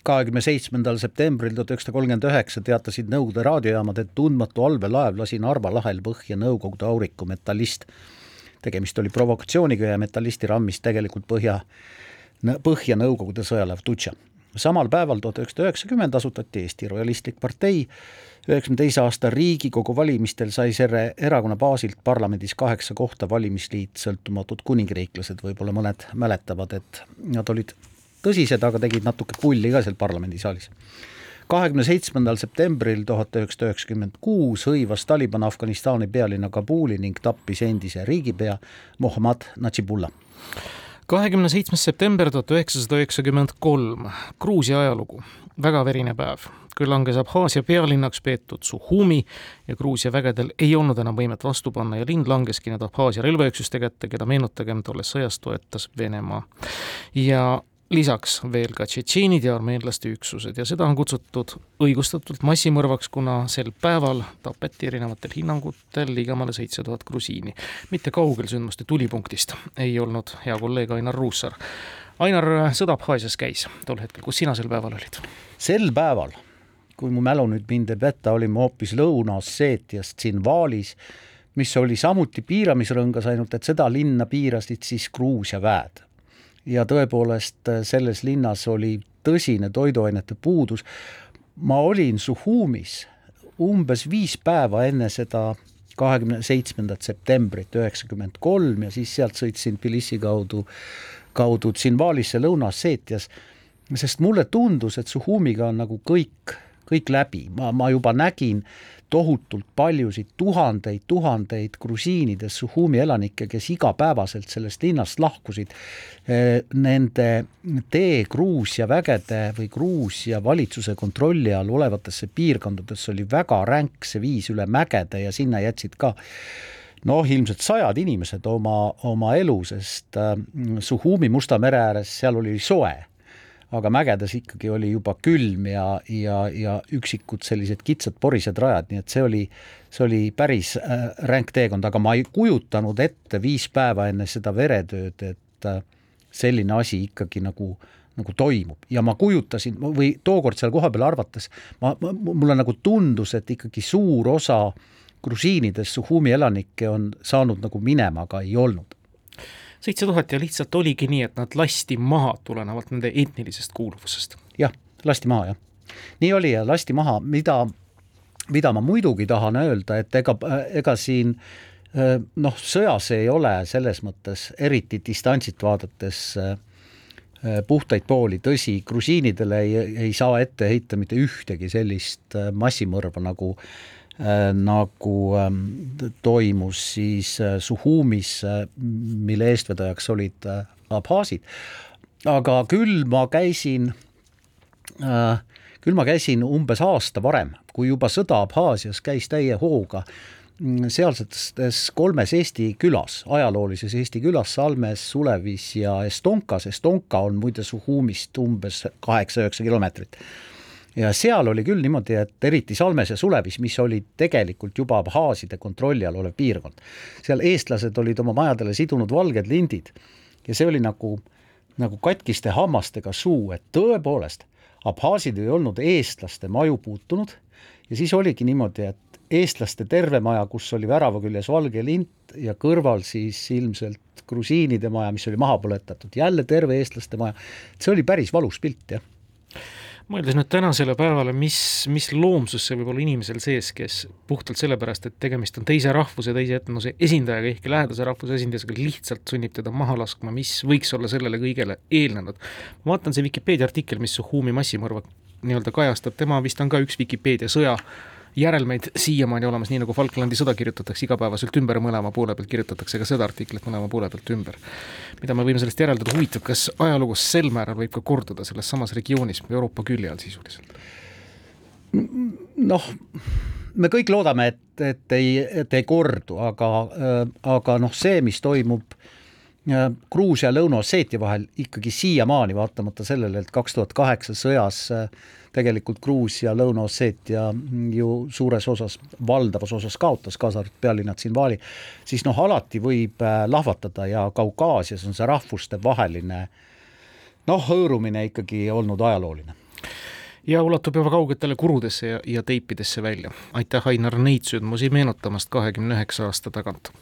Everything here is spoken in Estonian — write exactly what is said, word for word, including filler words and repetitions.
kahekümne seitsmendal septembril tuhat üheksasada kolmkümmend üheksa teatasid Nõukogude raadiojaamad, et tundmatu allveelaev lasi Narva lahel põhja Nõukogude auriku metallist. Tegemist oli provokatsiooniga ja metallisti rammis tegelikult põhja, põhja Nõukogude sõjalaev Tutša. Samal päeval tuhat üheksasada üheksakümmend asutati Eesti Rojalistlik partei. üheksakümne teise aasta Riigikogu valimistel sai selle erakonna baasilt parlamendis kaheksa kohta valimisliit Sõltumatud kuningriiklased. Võib-olla mõned mäletavad, et nad olid tõsised, aga tegid natuke pulli ka seal parlamendisaalis. kahekümne seitsmendal septembril tuhat üheksasada üheksakümmend kuus hõivas Taliban Afganistani pealinna Kabuli ning tappis endise riigipea Mohammad Najibullah. kahekümne seitsmes september tuhat üheksasada üheksakümmend kolm, Gruusia ajalugu, väga verine päev. Kui langes Abhaasia pealinnaks peetud Suhumi ja Gruusia vägedel ei olnud enam võimet vastu panna ja lind langeski need Abhaasia relvaüksuste kätte, keda meenutagem tolles sõjas toetas Venemaa. Ja lisaks veel ka tšetšeenid ja armeenlaste üksused ja seda on kutsutud õigustatult massimõrvaks, kuna sel päeval tapeti erinevatel hinnangutel ligemale seitse tuhat grusiini. Mitte kaugel sündmuste tulipunktist ei olnud hea kolleeg Ainar Ruussaar. Ainar, sõda Abhaasias käis tol hetkel, kus sina sel päeval olid? Sel päeval, kui mu mälu nüüd mind ei peta, olime hoopis Lõuna-Osseetias Tsinvalis, mis oli samuti piiramisrõngas, ainult et seda linna piirasid siis Gruusia väed. Ja tõepoolest selles linnas oli tõsine toiduainete puudus. Ma olin Suhumis umbes viis päeva enne seda kahekümne seitsmendat septembrit üheksakümmend kolm ja siis sealt sõitsin Tbilisi kaudu, kaudu Tsinvalisse Lõuna-Osseetias, sest mulle tundus, et Suhumiga on nagu kõik, kõik läbi. Ma, ma juba nägin tohutult paljusid tuhandeid, tuhandeid grusiinides Suhumi elanikke, kes igapäevaselt sellest linnast lahkusid. Nende tee Gruusia vägede või Gruusia valitsuse kontrolli all olevatesse piirkondadesse oli väga ränk see viis üle mägede ja sinna jätsid ka noh, ilmselt sajad inimesed oma, oma elu, sest Suhumi Musta mere ääres seal oli soe. Aga mägedes ikkagi oli juba külm ja, ja, ja üksikud sellised kitsad porised rajad, nii et see oli, see oli päris äh, ränk teekond, aga ma ei kujutanud ette viis päeva enne seda veretööd, et äh, selline asi ikkagi nagu, nagu toimub. Ja ma kujutasin, või tookord seal koha peal arvates, ma, ma, mulle nagu tundus, et ikkagi suur osa grusiinides Suhumi elanikke on saanud nagu minema, aga ei olnud. seitse tuhat ja lihtsalt oligi nii, et nad lasti maha tulenevalt nende etnilisest kuuluvusest. Jah, lasti maha, jah. Nii oli ja lasti maha, mida, mida ma muidugi tahan öelda, et ega, ega siin noh, sõjas ei ole selles mõttes eriti distantsit vaadates puhtaid pooli. Tõsi, grusiinidele ei, ei saa ette heita mitte ühtegi sellist massimõrva nagu nagu toimus siis Suhumis, mille eestvedajaks olid abhaasid. Aga küll ma käisin küll ma käisin umbes aasta varem, kui juba sõda Abhaasias käis täie hooga sealsetes kolmes Eesti külas, ajaloolises Eesti külas, Salmes, Sulevis ja Estonkas. Estonka on muide Suhumist umbes kaheksa üheksa kilomeetrit. Ja seal oli küll niimoodi, et eriti Salmes ja Sulevis, mis oli tegelikult juba abhaaside kontrolli all olev piirkond. Seal eestlased olid oma majadele sidunud valged lindid ja see oli nagu, nagu katkiste hammastega suu, et tõepoolest abhaasid ei olnud eestlaste maju puutunud ja siis oligi niimoodi, et eestlaste terve maja, kus oli värava küljes valge lint ja kõrval siis ilmselt grusiinide maja, mis oli maha põletatud, jälle terve eestlaste maja. See oli päris valus pilt, jah. Mõeldes nüüd tänasele päevale, mis, mis loomsus see võib olla inimesel sees, kes puhtalt sellepärast, et tegemist on teise rahvuse, teise etnose esindajaga, ehkki lähedase rahvuse esindajasega lihtsalt sunnib teda maha laskma, mis võiks olla sellele kõigele eelnenud. Ma vaatan see Wikipedia artikkel, mis Suhumi massimõrva nii-öelda kajastab, tema vist on ka üks Wikipedia sõja järelmeid siiamaani olemas, nii nagu Falklandi sõda kirjutatakse igapäevaselt ümber, mõlema poole pealt kirjutatakse ka seda artiklit mõlema poole pealt ümber. Mida me võime sellest järeldada, huvitav, kas ajaloos sel määral võib ka korduda selles samas regioonis Euroopa külje all sisuliselt? Noh, me kõik loodame, et, et, ei, et ei kordu, aga, aga noh, see, mis toimub Gruusia ja Lõuna-Osseetia vahel ikkagi siiamaani, vaatamata sellele, et kaks tuhat kaheksa sõjas tegelikult Gruusia ja Lõuna-Osseetia ju suures osas, valdavas osas kaotas, kaasa arvatud pealinna Tsinvali, siis noh, alati võib lahvatada ja Kaukaasias on see rahvuste vaheline noh, hõõrumine ikkagi olnud ajalooline. ja ulatub juba kaugetele kurudesse ja, ja teipidesse välja. aitäh, Ainar, neid sündmusi meenutamast kahekümne üheksa aasta tagant!